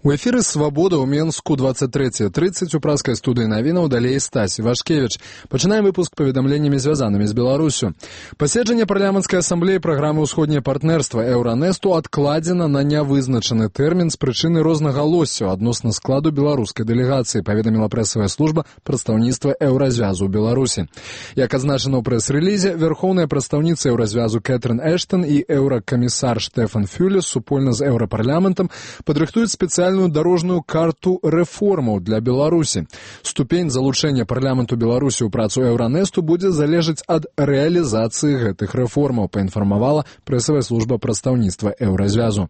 У эфіры «Свабода» ў Менску 23:30 у праскай студыі навінаў, далей Стась Вашкевіч. Пачынаем выпуск паведамленнямі, звязанымі з Беларусю. Паседжанне парламенцкай асамблеі праграмы «Усходняе партнерства» Еўранэсту адкладзена на нявызначаны тэрмін з прычыны рознагалоссяў адносна складу беларускай дэлегацыі, паведаміла прэсавая служба прадстаўніцтва Еўразвязу ў Беларусі. Як адзначана ў прэс-рэлізе, вярхоўная прадстаўніца Еўразвязу Кэтрин Эштон і еўракамісар Штефан Фюле супольна з еўрапарламентам падрыхтуюць спецыяльную дорожную карту рэформаў для Беларусі. Ступень залучэння парламенту Беларусі ў працу Еўранэсту будзе залежаць ад рэалізацыі гэтых рэформаў, паінфармавала прэсавая служба прадстаўніцтва Еўразвязу.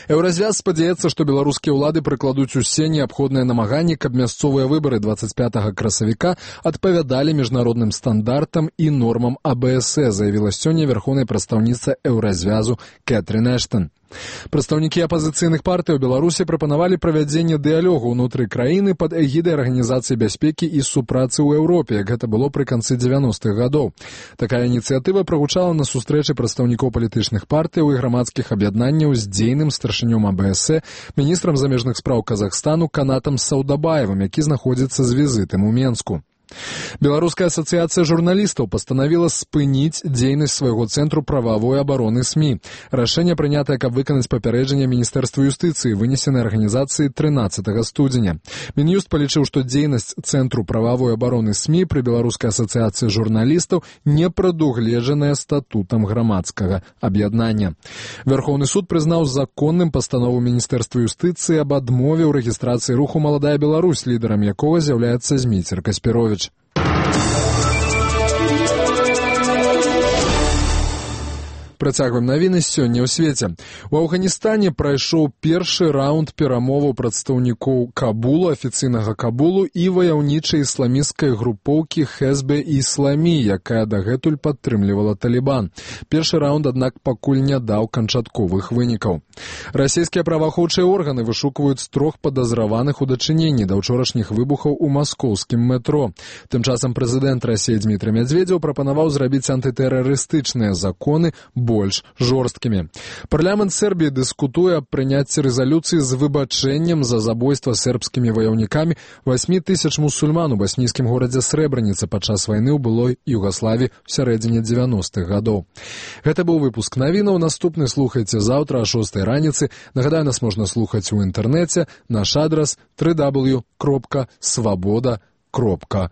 Еўразвяз спадзяецца, што беларускія ўлады прыкладуць усе неабходныя намаганні, каб мясцовыя выбары 25 красавіка адпавядалі міжнародным стандартам і нормам АБС, заявіла сёння вярхоўная прадстаўніца Еўразвязу Кэтрин Эштон. Прадстаўнікі апазіцыйных партый у Беларусі прапанавалі правядзенне дыялогу ўнутры краіны пад эгідай Арганізацыі бяспекі і супрацы ў Еўропе, як гэта было пры канцы 90-х гадоў. Такая ініцыятыва прагучала на сустрэчы прадстаўнікоў палітычных партыяў і грамадскіх аб'яднанняў з дзейным старшынём АБС, міністрам замежных спраў Казахстану Канатам Саудабаевым, які знаходзіцца з візітам у Менску. Беларуская асацыяцыя журналістаў пастанавіла спыніць дзейнасць свайго цэнтру прававой абароны СМІ. Рашэнне прынятае, каб выканаць папярэджанне Міністэрства юстыцыі, вынесенае арганізацыяй 13 студзеня. Мін'юст палічыў, што дзейнасць цэнтру прававой абароны СМІ пры Беларускай асацыяцыі журналістаў не прадугледжаная статутам грамадскага аб'яднання. Вярхоўны суд прызнаў законным пастанову Міністэрства юстыцыі аб адмове ў рэгістрацыі руху «Маладая Беларусь», лідарам якога з'яўляецца Зміцер Каспіровіч. Працягваем навіны сёння ў свеце. У Афганістане прайшоў першы раунд перамоваў прадстаўнікоў Кабулу, афіцыйнага Кабулу і ваяўнічай ісламісцкай групоўкі Хезбе-Ісламі, якая дагэтуль падтрымлівала Талібан. Першы раунд, аднак, пакуль не даў канчатковых вынікаў. Расійскія праваахоўчыя органы вышукваюць 3 падазраваных у дачыненні да ўчорашніх выбухаў у маскоўскім метро. Тым часам прэзідэнт Расіі Дмітрый Медведзеў прапанаваў зрабіць антытэрарыстычныя законы больш жорсткімі. Парламент Сербіі дыскутуе аб прыняцці рэзалюцыі з выбачэннем за забойства сербскімі ваяўнікамі 8000 мусульман у баснійскім горадзе Срэбраніца падчас вайны ў былой Югаславіі ў сярэдзіне 90-х гадоў. Гэта быў выпуск навінаў. Наступны слухайце заўтра о 6 раніцы. Нагадаю, нас можна слухаць у інтэрнэце. Наш адрас www.swaboda.org.